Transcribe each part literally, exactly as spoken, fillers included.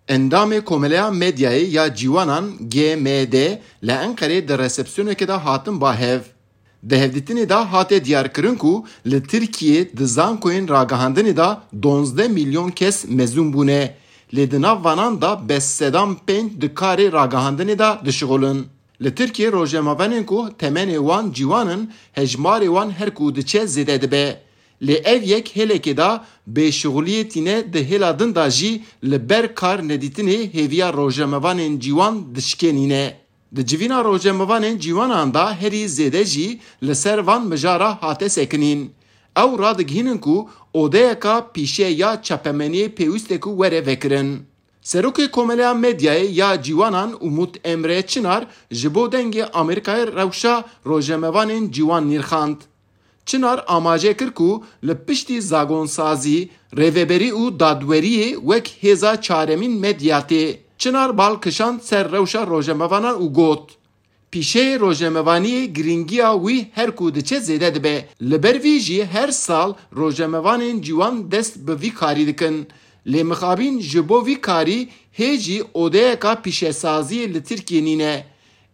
Endamê Komeleya Medyayê ya Ciwanan, G M D, li Enqerê di resepsiyonekê de hatin ba hev. Di hevdîtinê de hate diyarkirin ku li Tirkiyê di zankoyên ragihandinê de duwazdeh milyon kes mezûn bûne, lê di nav vanan de bes sedan pênc di karê ragihandinê de dişixulin. Li Tirkiyê rojnamevanên ku temenê wan ciwan in, hejmarê wan her ku diçe zêde dibe. Lê ev yek hêlekê de bêşixuliyê tîne, di hêla din de jî li ber kar nedîtinê hêviya rojnamevanên ciwan dişkênîne. Di civîna rojnamevanên ciwanan de herî zêde jî li ser van mijara hate sekinîn. Ew radigihînin ku odeyeka pîşe ya çapemeniyê pêwîst e ku were vekirin. Serokê Komeleya Medyayê ya Ciwanan Umut Emre Çinar ji bo Dengê Amerîkayê rewşa rojnamevanên ciwan nirxand. Çinar amaje kir ku li piştî zagonsazî, rêveberî û dadweriyê wek hêza çaremîn medya tê. Çinar bal kişand ser rewşa rojnamevanan û got, pîşeyê rojnamevaniyê girîngiya wî her ku diçe zêde dibe. Li ber vî jî her sal rojnamevanên ciwan dest bi vî karî dikin. Lê mixabîn ji bo vî karî hê jî odeyeka pîşesaziyê li Tirkiyê nîne.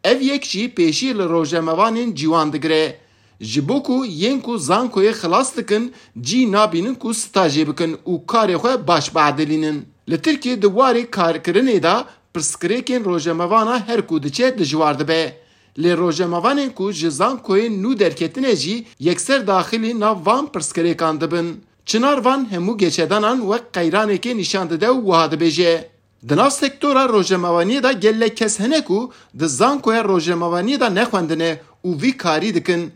Ev yek jî pêşî li rojnamevanên ciwan digire. Ji bo ku yên ku zankoyê xilas dikin, cî nabînin ku stajê bikin û karê xwe baş biedilînin. Li Tirkiyê di warê karkirinê de pirsgirêkên rojnamevana her ku diçe dijwar dibe. Lê rojnamevanên ku ji zankoyên nû derketine jî yekser daxilî nav van pirsgirêkan dibin. Çinar van hemû geşedanan wek qeyranekê nîşan dide û wiha dibêje, di nav sektora rojnamevaniyê de gelek kes hene ku di zankoya rojnamevaniyê de nexwendine û vî karî dikin.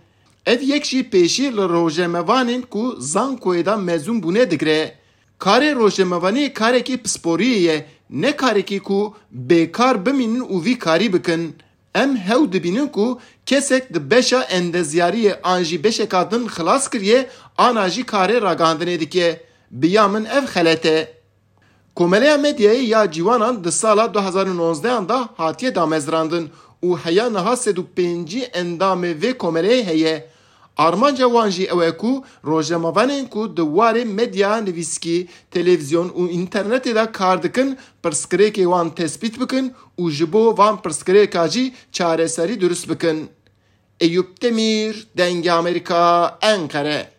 Ev yek jî pêşî li rojnamevanên ku zankoyê de mezûn bûne digire. Karê rojnamevaniyê karekî pisporiyê ye, ne karekî ku bêkar bimînin û vî karî bikin. Em hew dibînin ku kesek di beşa endezyariyê an jî beşeka din xilas kiriye, ana jî karê ragihandinê dike. Bi ya min ev xelet e. Komeleya Medyayê ya Ciwanan di sala du hezar û nozdehan de hatiye damezrandin û heya niha sed û pêncî endamê vê komeleyê heye. Armanca wan jî ew e ku rojnamevanên ku di warê medya nivîskî, televîzyon û înternetê de kar dikin, pirsgirêkê wan tespît bikin û ji bo van pirsgirêka jî çareserî dirust bikin. Eyûp Demîr, Dengê Amerîka, Enqere.